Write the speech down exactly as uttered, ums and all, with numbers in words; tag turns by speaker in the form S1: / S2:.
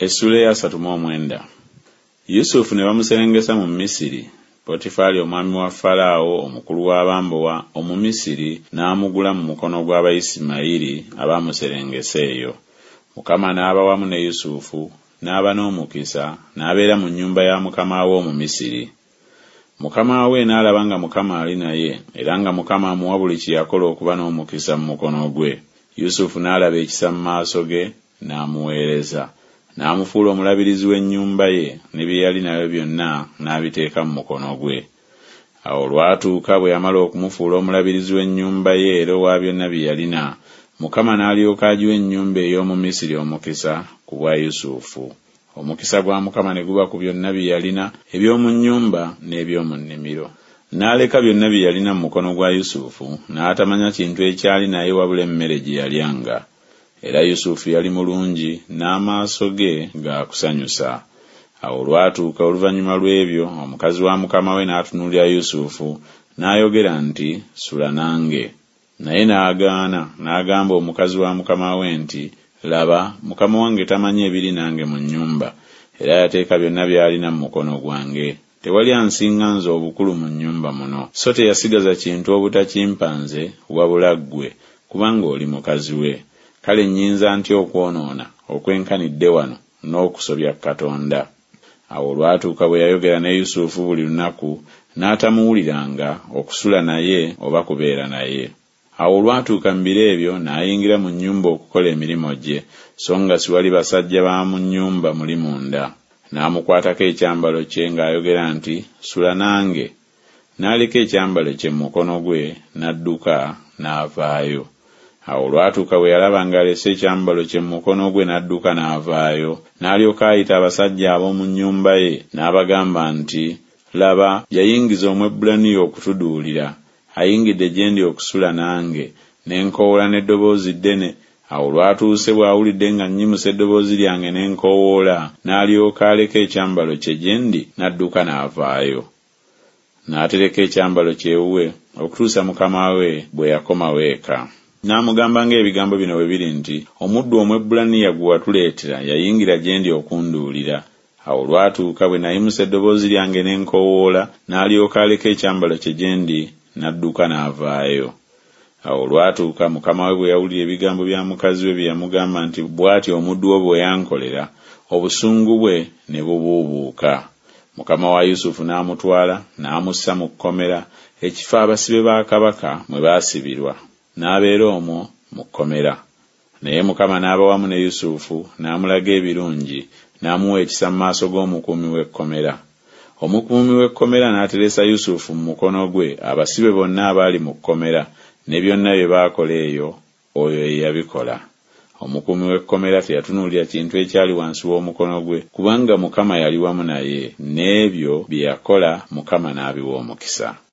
S1: Essuula ey'asatu mu omwenda. Yusufu ne bamuserengesa mu Misiri, Potifaali omwami wa Falaawo omukulu w'abambowa Omumisiri n'amugula mu mukono gw'Abayisimayiri abaamuserengesa eyo. Mukama n'aba wamu ne Yusufu, n'aba n'omukisa, n'abeera mu nnyumba ya mukama we Omumisiri. Mukama we n'alaba nga Mukama ali naye, era nga Mukama amuwa buli kye yakola okuba n'omukisa mu mukono gwe. Yusufu n'alaba ekisa mu maaso ge, n'amuweereza. N'amufuula omulabirizi w'ennyumba ye, ne bye yali nabyo byonna n'abiteeka mu mukono gwe. Awo olwatuuka bwe yamala okumufuula omulabirizi w'ennyumba ye era owa byonna bye yalina, Mukama n'alyoka agiwa ennyumba ey'omu Misiri omukisa ku bwa Yusufu. Omukisa gwa Mukama ne guba ku byonna bye yalina eby'omu nnyumba n'eby'omu nnimiro. N'aleka byonna bye yalina mu mukono gwa Yusufu, n'atamanya kintu ekyali naye wabula emmere gye yalyanga. Era Yusufu yali mulungi, n'amaaso ge ga kusanyusa. Awo olwatuuka oluvannyuma lw'ebyo, omukazi wa mukama we n'atunuulira Yusufu, n'ayogera nti, Sula nange. Naye n'agaana, n'agamba omukazi wa mukama we nti, Laba, mukama wange tamanyi ebiri nange mu nnyumba, era yateeka byonna by'alina mu mukono gwange. Tewali ansinga nze obukulu mu nnyumba muno. So teyasigaza kintu obutakimpa nze, wabula ggwe, kubanga oli mukazi we. Kale nnyinza ntya okwonoona okwenkanidde wano n'okusobya Katonda? Awo olwatuuka bwe yayogera ne Yusufu buli lunaku, n'atamuwuliranga okusula naye oba kubeera naye. Awo olwatuuka mu biro ebyo n'ayingira mu nnyumba okukola emirimu gye, so nga siwali basajja ba mu nnyumba muli munda. N'amukwatako ekyambalo kye ng'ayogera nti, Sula nange. N'aleka ekyambalo kye mu mukono gwe, n'adduka, n'avaayo. Awo olwatuuka bwe yalaba ng'alese ekyambalo kye mu mukono gwe n'adduka n'avaayo, n'alyoka ayita abasajja ab'omu nnyumba ye, n'abagamba nti, Laba, yayingiza Omwebbulaniya okutuduulira. Ayingidde gye ndi okusula nange, ne nkoowoola n'eddoboozi ddene. Awo olwatuuse bw'awulidde nga nnyimusa eddoboozi lyange ne nkoowoola, n'alyoka aleka ekyambalo kye gye ndi, n'adduka n'avaayo. N'atereka ekyambalo kye ewuwe okutuusa mukama we bwe yakomawo eka. N'amugamba ng'ebigambo bino bwe biri nti, Omuddu Omwebbulaniya gwe watuleetera yayingira gye ndi okunduulira. Awo olwatuuka bwe nayimusa eddoboozi lyange ne nkoowoola, n'alyoka aleka ekyambalo kye gye ndi, n'adduka n'avaayo. Awo olwatuuka mukama we bwe yawulira ebigambo bya mukazi we bye yamugamba nti, Bw'atyo omuddu wo bwe yankolera, obusungu bwe ne bubuubuuka. Mukama wa Yusufu n'amutwala, n'amussa mu kkomera, ekifo abasibe ba kabaka mwe baasibirwa, n'abeera omwo mu kkomera. Naye Mukama n'aba wamu ne Yusufu, n'amulaga ebirungi, n'amuwa ekisa mu maaso g'omukuumi w'ekkomera. Omukuumi w'ekkomera n'ateresa Yusufu mu mukono gwe abasibe bonna abaali mu kkomera, ne byonna bye baakola eyo, oyo ye yabikola. Omukuumi w'ekkomera teyatunuulira kintu ekyali wansi w'omukono gwe, kubanga Mukama yali wamu naye, n'ebyo bye yakola Mukama n'abiwa omukisa.